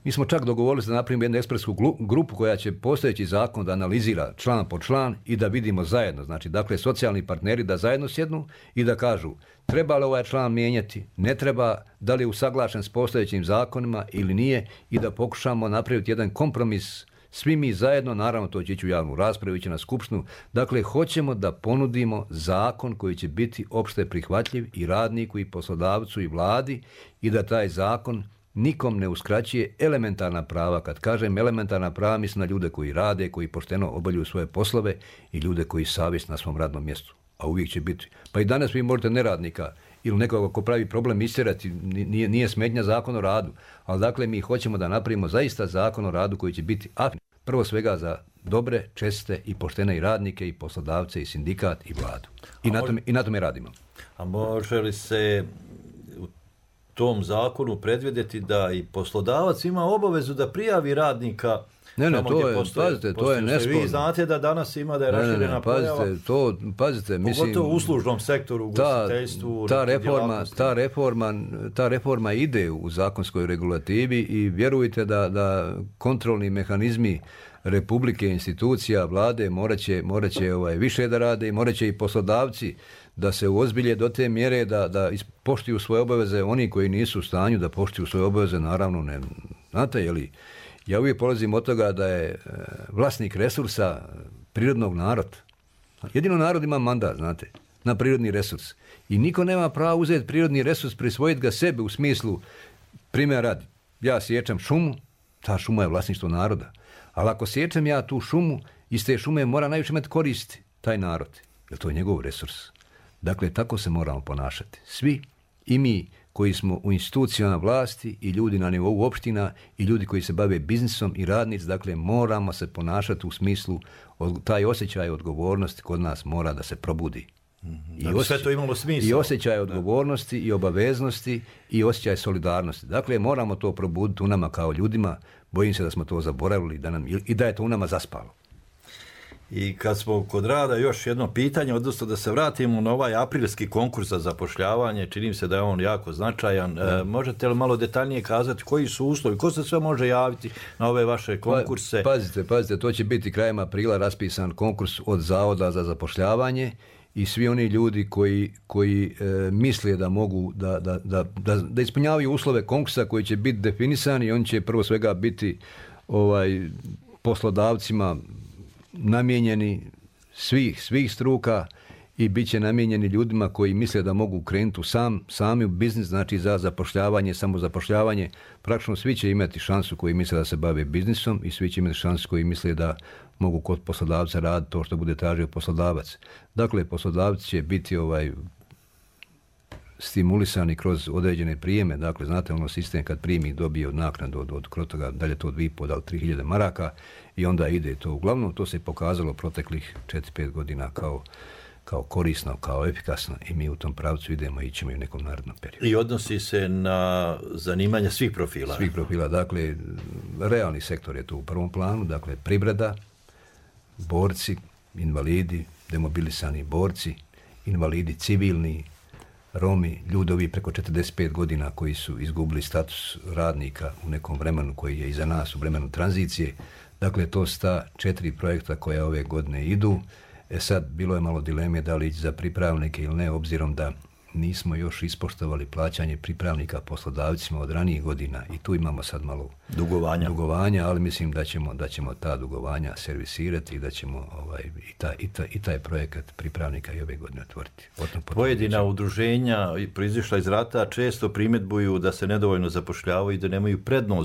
Mi smo čak dogovorili da napravimo jednu ekspertsku grupu koja će postojeći zakon da analizira član po član i da vidimo zajedno. Znači, dakle, socijalni partneri da zajedno sjednu i da kažu treba li ovaj član mijenjati, ne treba, da li je usaglašen s postojećim zakonima ili nije i da pokušamo napraviti jedan kompromis svi mi zajedno, naravno to će ići u javnu raspravu, ići na skupštinu. Dakle, hoćemo da ponudimo zakon koji će biti opšte prihvatljiv i radniku i poslodavcu i vladi i da taj zakon nikom ne uskraćuje elementarna prava. Kad kažem elementarna prava, mislim na ljude koji rade, koji pošteno obavljaju svoje poslove i ljude koji savjesno na svom radnom mjestu. A uvijek će biti. Pa i danas vi možete neradnika ili nekoga ko pravi problem istjerati, nije smetnja zakon o radu. Ali dakle, mi hoćemo da napravimo zaista zakon o radu koji će biti prvo svega za dobre, česte i poštene i radnike i poslodavce i sindikat i vladu. I na tome radimo. A može li se u tom zakonu predvidjeti da i poslodavac ima obavezu da prijavi radnika? Ne, to je nesporno. Vi znate da danas ima da je raširena pojava. Pazite, mislim, pogotovo u uslužnom sektoru, u ugostiteljstvu. Ta reforma ide u zakonskoj regulativi i vjerujte da kontrolni mehanizmi Republike, institucija, vlade morat će više da rade i morat će i poslodavci da se uozbilje do te mjere da poštuju svoje obaveze. Oni koji nisu u stanju da poštuju svoje obaveze, naravno ne. Znate, je li? Ja uvijek polazim od toga da je vlasnik resursa prirodnog narod. Jedino narod ima mandat, znate, na prirodni resurs. I niko nema pravo uzeti prirodni resurs, prisvojiti ga sebe u smislu, primjer radi, ja sječem šumu, ta šuma je vlasništvo naroda. Ali ako sječem ja tu šumu, iz te šume mora najviše imati koristi taj narod, jer to je njegov resurs. Dakle, tako se moramo ponašati. Svi, i mi koji smo u institucijama vlasti i ljudi na nivou opština i ljudi koji se bave biznisom i radnici, dakle moramo se ponašati u smislu, taj osjećaj odgovornosti kod nas mora da se probudi. Sve to imalo smisla. I osjećaj odgovornosti i obaveznosti i osjećaj solidarnosti. Dakle, moramo to probuditi u nama kao ljudima. Bojim se da smo to zaboravili i da je to u nama zaspalo. I kad smo kod rada, još jedno pitanje, odnosno da se vratimo na ovaj aprilski konkurs za zapošljavanje, čini mi se da je on jako značajan. Možete li malo detaljnije kazati koji su uslovi, ko se sve može javiti na ove vaše konkurse? Pazite, to će biti krajem aprila raspisan konkurs od Zavoda za zapošljavanje i svi oni ljudi koji misle da mogu da ispunjavaju uslove konkursa koji će biti definisani i on će prvo svega biti poslodavcima namijenjeni svih struka i bit će namijenjeni ljudima koji misle da mogu krenuti sami u biznis, znači za zapošljavanje, samozapošljavanje. Praktično svi će imati šansu koji misle da se bave biznisom i svi će imati šansu koji misle da mogu kod poslodavca raditi to što bude tražio poslodavac. Dakle, poslodavci će biti stimulisani kroz određene prijeme. Dakle, znate sistem kad primi dobije naknadu od toga, dalje to od 2.500 do 3.000 maraka i onda ide to. Uglavnom, to se pokazalo proteklih 4-5 godina kao korisno, kao efikasno i mi u tom pravcu idemo i ićemo i u nekom narednom periodu. I odnosi se na zanimanja svih profila? Svih profila, dakle, realni sektor je tu u prvom planu, dakle, privreda, borci, invalidi, demobilisani borci, invalidi civilni, Romi, ljudovi preko 45 godina koji su izgubili status radnika u nekom vremenu koji je iza nas, u vremenu tranzicije. Dakle, to su ta 4 projekta koja ove godine idu. Sad, bilo je malo dileme da li ići za pripravnike ili ne, obzirom da nismo još ispoštovali plaćanje pripravnika poslodavcima od ranijih godina i tu imamo sad malo dugovanja, ali mislim da ćemo ta dugovanja servisirati i da ćemo i taj projekat pripravnika i ove godine otvoriti. Pojedina udruženja proizišla iz rata često primjedbuju da se nedovoljno zapošljavaju i da nemaju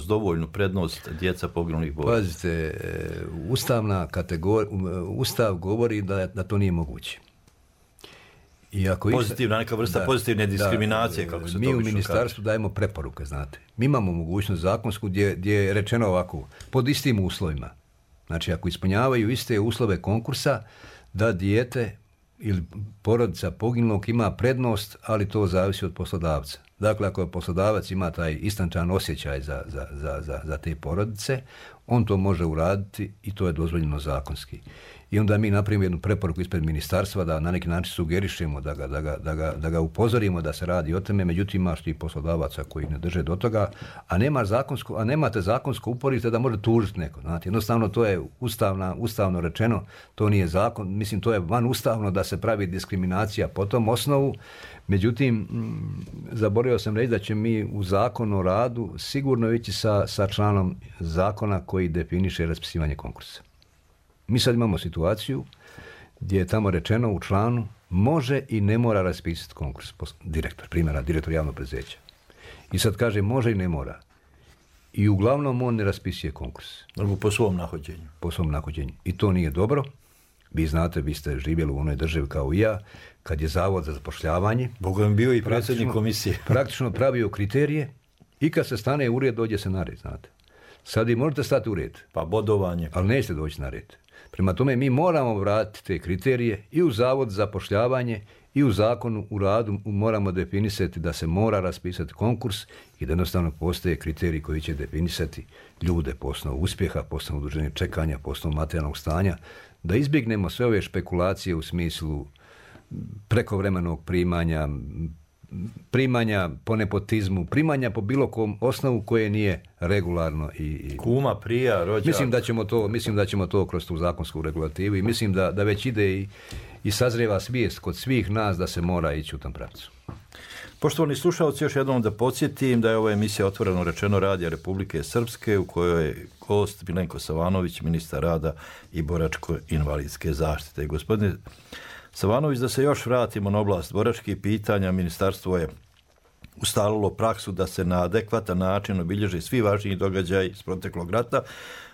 dovoljnu prednost djeca poginulih boraca. Pazite, Ustav govori da to nije moguće. Pozitivna, neka vrsta pozitivne diskriminacije, kako se to mi obično u ministarstvu dajemo preporuke, znate. Mi imamo mogućnost zakonsku gdje je rečeno ovako, pod istim uslovima. Znači, ako ispunjavaju iste uslove konkursa, da dijete ili porodica poginulog ima prednost, ali to zavisi od poslodavca. Dakle, ako poslodavac ima taj istančan osjećaj za te porodice, on to može uraditi i to je dozvoljeno zakonski. I onda mi napravimo jednu preporuku ispred ministarstva da na neki način sugerišemo, da ga upozorimo da se radi o tome, međutim imaš ti poslodavaca koji ne drže do toga, a nemate zakonsko uporište da može tužiti neko. Znate, jednostavno to je ustavno rečeno, to nije zakon, mislim to je van ustavno da se pravi diskriminacija po tom osnovu. Međutim, zaboravio sam reći da će mi u Zakonu o radu sigurno ići sa članom zakona koji definiše raspisivanje konkursa. Mi sad imamo situaciju gdje je tamo rečeno u članu može i ne mora raspisati konkurs. Direktor javnog preduzeća. I sad kaže može i ne mora. I uglavnom on ne raspisuje konkurs. Po svom nahođenju. Po svom nahođenju. I to nije dobro. Vi znate, vi ste živjeli u onoj državi kao i ja, kad je Zavod za zapošljavanje Boga mi bio i predsjednik komisije. Praktično pravio kriterije i kad se stane u red, dođe se na red, znate. Sad vi možete stati u red. Pa bodovanje. Ali nećete doći na red. Prema tome mi moramo vratiti te kriterije i u Zavod za zapošljavanje i u Zakonu o radu moramo definisati da se mora raspisati konkurs i da jednostavno postoje kriteriji koji će definisati ljude po osnovu uspjeha, po osnovu dužine čekanja, po osnovu materijalnog stanja, da izbjegnemo sve ove špekulacije u smislu prekovremenog primanja po nepotizmu, primanja po bilo kom osnovu koje nije regularno i kuma, prija, rođak. Mislim da ćemo to kroz tu zakonsku regulativu i mislim da već ide i sazrijeva svijest kod svih nas da se mora ići u tom pravcu. Poštovani slušalci, još jednom da podsjetim da je ova emisija Otvoreno rečeno Radija Republike Srpske u kojoj je gost Milenko Savanović, ministar rada i boračko-invalidske zaštite. Gospodine Savanović, da se još vratimo na oblast boračkih pitanja, ministarstvo je ustalilo praksu da se na adekvatan način obilježe svi važniji događaji iz proteklog rata.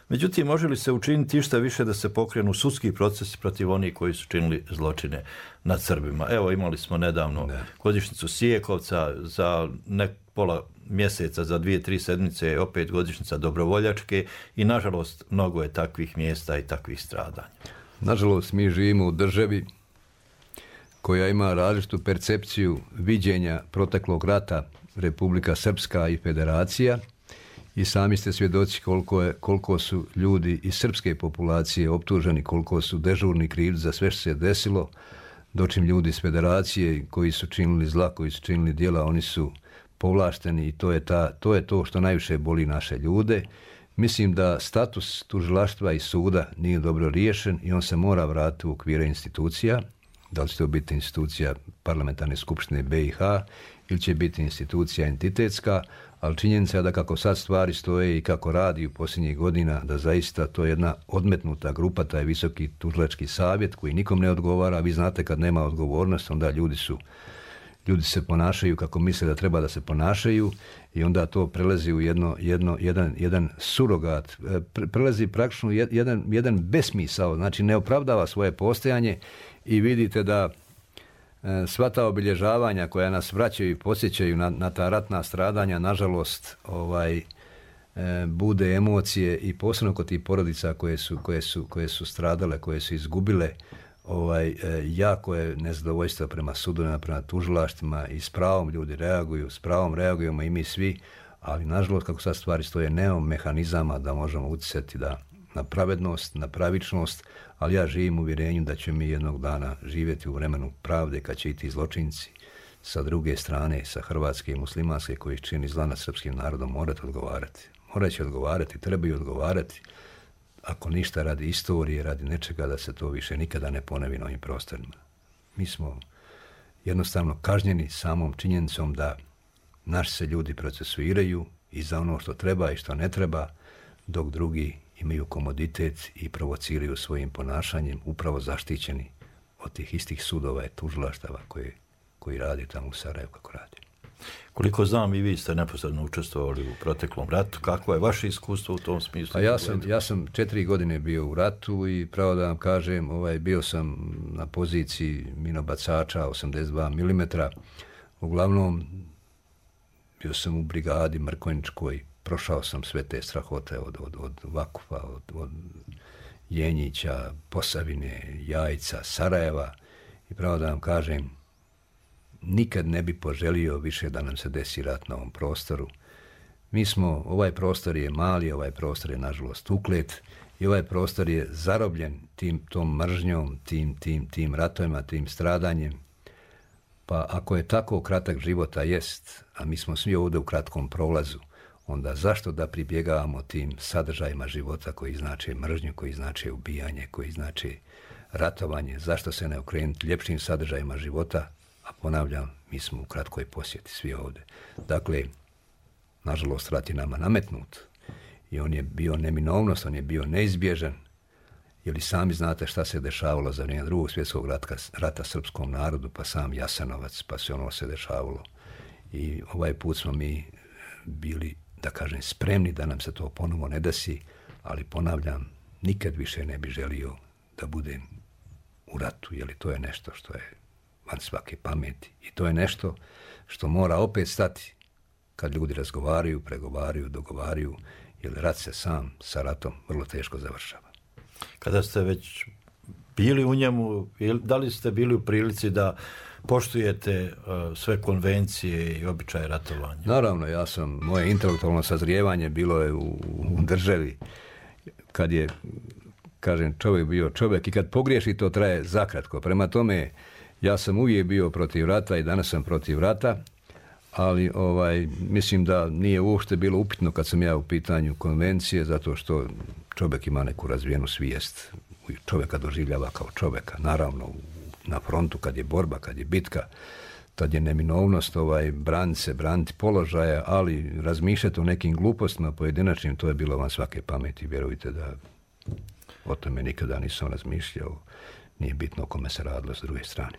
Međutim, može li se učiniti išta više da se pokrenu sudski procesi protiv onih koji su činili zločine nad Srbima? Evo, imali smo nedavno godišnjicu Sijekovca, za pola mjeseca, za 2-3 sedmice opet godišnjica Dobrovoljačke i nažalost mnogo je takvih mjesta i takvih stradanja. Nažalost, mi živimo u državi koja ima različitu percepciju viđenja proteklog rata Republika Srpska i Federacija i sami ste svjedoci koliko su ljudi iz srpske populacije optuženi, koliko su dežurni krivci za sve što se desilo, dočim ljudi iz Federacije koji su činili zla, koji su činili djela, oni su povlašteni i to je to što najviše boli naše ljude. Mislim da status tužilaštva i suda nije dobro riješen i on se mora vratiti u okvire institucija. Da li će to biti institucija parlamentarne skupštine BiH ili će biti institucija entitetska, ali činjenica je da kako sad stvari stoje i kako radi u posljednjih godina, da zaista to je jedna odmetnuta grupa, taj visoki tužilački savjet koji nikom ne odgovara. Vi znate kad nema odgovornost, onda ljudi se ponašaju kako misle da treba da se ponašaju i onda to prelazi u jedan surogat, prelazi praktično jedan besmisao, znači ne opravdava svoje postojanje i vidite da sva ta obilježavanja koja nas vraćaju i podsjećaju na ta ratna stradanja, nažalost, bude emocije i posebno kod tih porodica koje su stradale, koje su izgubile, jako je nezadovoljstvo prema sudovima, prema tužilaštvima i s pravom ljudi reaguju, s pravom reagujemo i mi svi, ali nažalost kako sad stvari stoje, nemamo mehanizama da možemo utjecati na pravednost, na pravičnost, ali ja živim u uvjerenju da će mi jednog dana živjeti u vremenu pravde kad će i ti zločinci sa druge strane, sa hrvatske i muslimanske koji čini zla nad srpskim narodom morati odgovarati. Morat će odgovarati, trebaju odgovarati. Ako ništa radi istorije, radi nečega da se to više nikada ne ponovi na ovim prostorima. Mi smo jednostavno kažnjeni samom činjenicom da naši se ljudi procesuiraju i za ono što treba i što ne treba, dok drugi imaju komoditet i provociraju svojim ponašanjem, upravo zaštićeni od tih istih sudova i tužilaštava koji radi tamo u Sarajevu kako radi. Koliko znam, i vi ste neposredno učestvovali u proteklom ratu. Kakvo je vaše iskustvo u tom smislu? Pa ja sam 4 godine bio u ratu i pravo da vam kažem, bio sam na poziciji minobacača 82 mm. Uglavnom, bio sam u brigadi Mrkonjičkoj, prošao sam sve te strahote od Vakufa, od Jenjića, Posavine, Jajca, Sarajeva i pravo da vam kažem, nikad ne bi poželio više da nam se desi rat na ovom prostoru. Ovaj prostor je mali, ovaj prostor je nažalost uklet i ovaj prostor je zarobljen tom mržnjom, tim ratovima, tim stradanjem. Pa ako je tako kratak života jest, a mi smo svi ovdje u kratkom prolazu, onda zašto da pribjegavamo tim sadržajima života koji znače mržnju, koji znače ubijanje, koji znače ratovanje, zašto se ne okrenuti ljepšim sadržajima života, a ponavljam, mi smo u kratkoj posjeti svi ovdje. Dakle, nažalost, rat je nama nametnut i on je bio neminovnost, on je bio neizbježan, jer i sami znate šta se dešavalo za vrijeme Drugog svjetskog rata srpskom narodu, pa sam Jasenovac, pa sve ono se dešavalo. I ovaj put smo mi bili, da kažem, spremni da nam se to ponovo ne desi, ali ponavljam, nikad više ne bi želio da budem u ratu, jer to je nešto što je van svake pameti. I to je nešto što mora opet stati kad ljudi razgovaraju, pregovaraju, dogovaraju, jer rat se sam sa ratom vrlo teško završava. Kada ste već bili u njemu, da li ste bili u prilici da poštujete sve konvencije i običaje ratovanja? Naravno, moje intelektualno sazrijevanje bilo je u državi kad je, kažem, čovjek bio čovjek i kad pogriješi to traje zakratko. Prema tome, ja sam uvijek bio protiv rata i danas sam protiv rata, ali mislim da nije uopšte bilo upitno kad sam ja u pitanju konvencije, zato što čovjek ima neku razvijenu svijest. Čovjeka doživljava kao čovjeka. Naravno, na frontu kad je borba, kad je bitka, tad je neminovnost braniti položaja, ali razmišljati o nekim glupostima pojedinačnim, to je bilo van svake pameti. Vjerujte da o tome nikada nisam razmišljao. Nije bitno o kome se radilo s druge strane.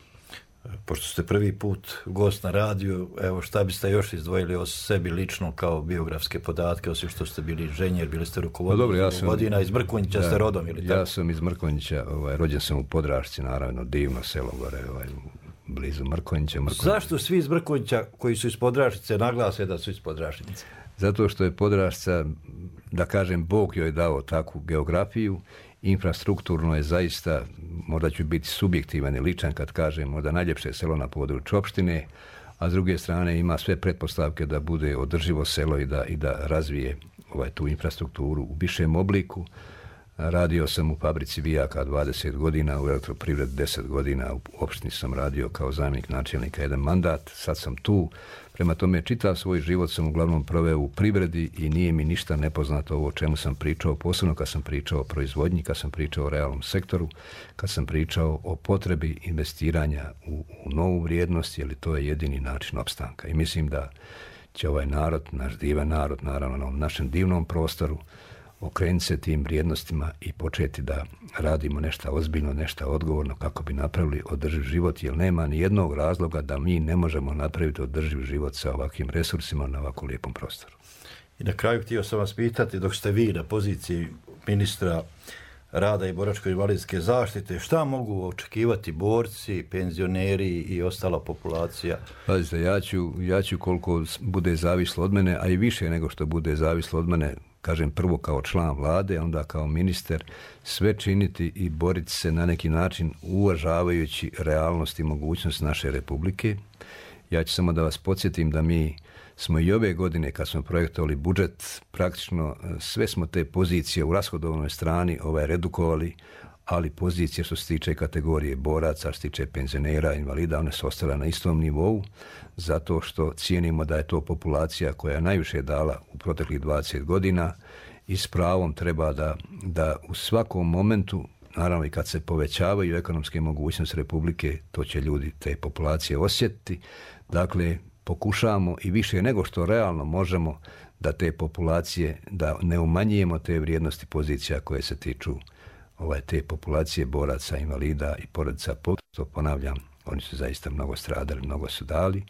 Pošto ste prvi put gost na radiju, evo šta biste još izdvojili o sebi lično kao biografske podatke, osim što ste bili inženjer, bili ste rukovoditelj godina, iz Mrkonjića ste rodom ili tako? Ja sam iz Mrkonjića, rođen sam u Podrašci, naravno, divno selo gore, blizu Mrkonjića. Zašto svi iz Mrkonjića koji su iz Podraščice naglase da su iz Podraščice? Zato što je Podrašca, da kažem, Bog joj dao takvu geografiju. Infrastrukturno je zaista, možda ću biti subjektivan i ličan kad kažem, možda najljepše selo na području opštine, a s druge strane ima sve pretpostavke da bude održivo selo i da razvije tu infrastrukturu u višem obliku. Radio sam u fabrici vijaka 20 godina, u elektroprivredi 10 godina, u opštini sam radio kao zamjenik načelnika 1 mandat, sad sam tu. Prema tome, čitav svoj život sam uglavnom proveo u privredi i nije mi ništa nepoznato ovo o čemu sam pričao, posebno kad sam pričao o proizvodnji, kad sam pričao o realnom sektoru, kad sam pričao o potrebi investiranja u novu vrijednost, jer to je jedini način opstanka. I mislim da će ovaj narod, naš divan narod, naravno na našem divnom prostoru, okrenuti se tim vrijednostima i početi da radimo nešto ozbiljno, nešto odgovorno kako bi napravili održiv život, jer nema ni jednog razloga da mi ne možemo napraviti održiv život sa ovakvim resursima na ovako lijepom prostoru. I na kraju htio sam vas pitati, dok ste vi na poziciji ministra rada i boračko-invalidske zaštite, šta mogu očekivati borci, penzioneri i ostala populacija? Pazite, ja ću koliko bude zavislo od mene, a i više nego što bude zavislo od mene, kažem prvo kao član vlade, onda kao ministar, sve činiti i boriti se na neki način uvažavajući realnost i mogućnost naše republike. Ja ću samo da vas podsjetim da mi smo i ove godine kad smo projektovali budžet, praktično sve smo te pozicije u rashodovnoj strani redukovali, ali pozicije što se tiče kategorije boraca, što se tiče penzionera, invalida, one su ostale na istom nivou, zato što cijenimo da je to populacija koja je najviše dala u proteklih 20 godina i s pravom treba da u svakom momentu naravno i kad se povećavaju ekonomske mogućnosti Republike, to će ljudi te populacije osjetiti. Dakle, pokušavamo i više nego što realno možemo da te populacije, da ne umanjujemo te vrijednosti pozicija koje se tiču te populacije boraca, invalida i porodica. To ponavljam, oni su zaista mnogo stradali, mnogo su dali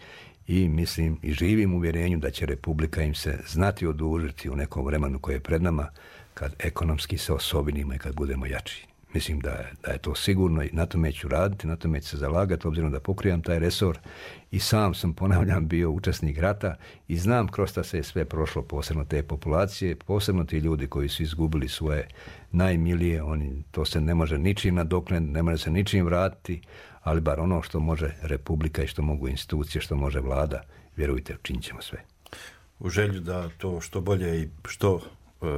i mislim i živim u uvjerenju da će Republika im se znati odužiti u nekom vremenu koje je pred nama kad ekonomski se osobinimo i kad budemo jači. Mislim da je to sigurno i na tome ću raditi, na tome ću se zalagati, obzirom da pokrivam taj resor i sam sam, ponavljam, bio učesnik rata i znam kroz šta se je sve prošlo, posebno te populacije, posebno ti ljudi koji su izgubili svoje najmilije, to se ne može ničim nadoknaditi, ne može se ničim vratiti, ali bar ono što može Republika i što mogu institucije, što može vlada, vjerujte, učinit ćemo sve. U želju da to što bolje i što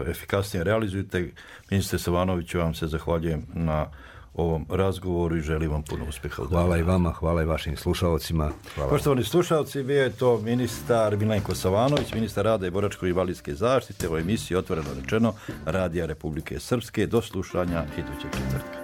efikasnije realizujete, ministre Savanoviću, vam se zahvaljujem na ovom razgovoru i želim vam puno uspjeha. Hvala i vama, hvala i vašim slušalcima. Poštovani slušalci, bio je to ministar Milenko Savanović, ministar rada i boračko-invalidske zaštite u emisiji Otvoreno rečeno Radija Republike Srpske. Do slušanja idućeg četvrtka.